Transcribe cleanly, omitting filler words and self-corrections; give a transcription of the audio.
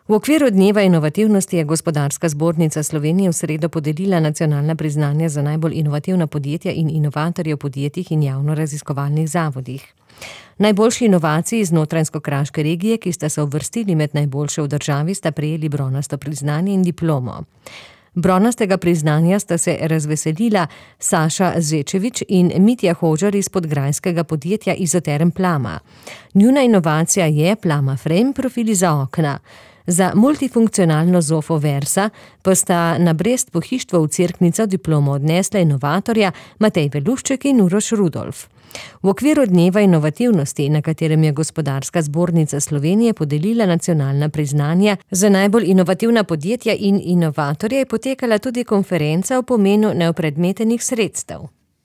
V okviru Dneva inovativnosti je Gospodarska zbornica Slovenije v sredo podelila nacionalna priznanja za najbolj inovativna podjetja in inovatorje v podjetjih in javno-raziskovalnih zavodih. Najboljši inovaciji iz Notranjsko-kraške regije, ki sta se uvrstili med najboljše v državi, sta prejeli bronasto priznanje in diplomo. Bronastega priznanja sta se razveselila Saša Zečevič in Mitja Hožar iz podgrajskega podjetja Izoterm Plama. Njuna inovacija je Plama Frame profili za okna. Za multifunkcionalno zofo Versa pa sta na Brest pohištvo v Cerknico diplomo odnesla inovatorja Matej Velušček in Uroš Rudolf. V okviru Dneva inovativnosti, na katerem je Gospodarska zbornica Slovenije podelila nacionalna priznanja za najbolj inovativna podjetja in inovatorje, je potekala tudi konferenca o pomenu neopredmetenih sredstev.